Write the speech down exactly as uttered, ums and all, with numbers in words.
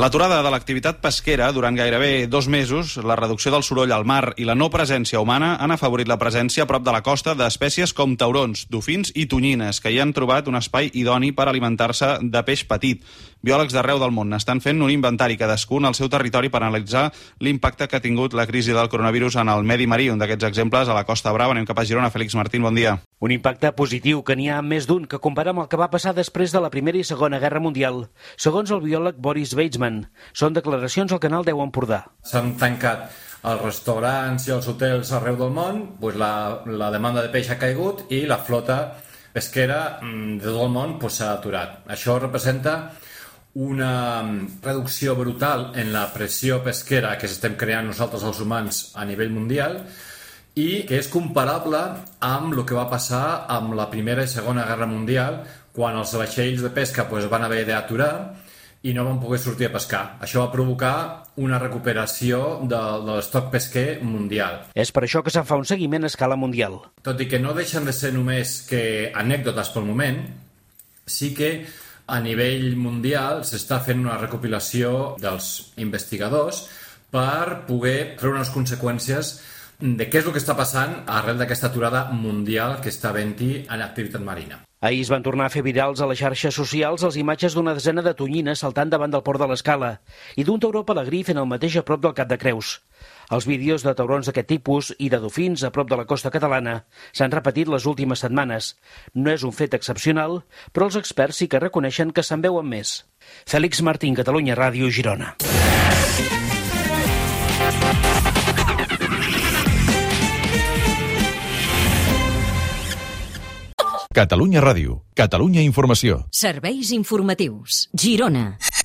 L'aturada de l'activitat pesquera durant gairebé dos mesos, la reducció del soroll al mar i la no presència humana han afavorit la presència a prop de la costa d'espècies com taurons, dofins i tonyines, que hi han trobat un espai idoni per alimentar-se de peix petit. Biòlegs d'arreu del món estan fent un inventari cadascun al seu territori per analitzar l'impacte que ha tingut la crisi del coronavirus en el medi marí. Un d'aquests exemples a la Costa Brava. Anem cap a Girona. Félix Martín, bon dia. Un impacte positiu que n'hi ha més d'un que compara amb el que va passar després de la Primera i Segona Guerra Mundial, segons el biòleg Boris Weizmann. Són declaracions al canal deu Empordà. S'han tancat els restaurants i els hotels arreu del món, doncs la, la demanda de peix ha caigut i la flota pesquera de tot el món doncs, s'ha aturat. Això representa una reducció brutal en la pressió pesquera que estem creant nosaltres els humans a nivell mundial i que és comparable amb el que va passar amb la Primera i Segona Guerra Mundial, quan els vaixells de pesca doncs, van haver d'aturar i no van poder sortir a pescar. Això va provocar una recuperació de, de l'estoc pesquer mundial. És per això que se'n fa un seguiment a escala mundial. Tot i que no deixen de ser només que anècdotes pel moment, sí que a nivell mundial s'està fent una recopilació dels investigadors per poder treure unes conseqüències de què és el que està passant arrel d'aquesta aturada mundial que està havent-hi en activitat marina. Ahir es van tornar a fer virals a les xarxes socials les imatges d'una desena de tonyines saltant davant del port de l'Escala i d'un tauró pelegrí fent el mateix a prop del Cap de Creus. Els vídeos de taurons d'aquest tipus i de dofins a prop de la costa catalana s'han repetit les últimes setmanes. No és un fet excepcional, però els experts sí que reconeixen que se'n veuen més. Félix Martín, Catalunya Ràdio, Girona. Catalunya Ràdio, Catalunya Informació. Serveis informatius, Girona.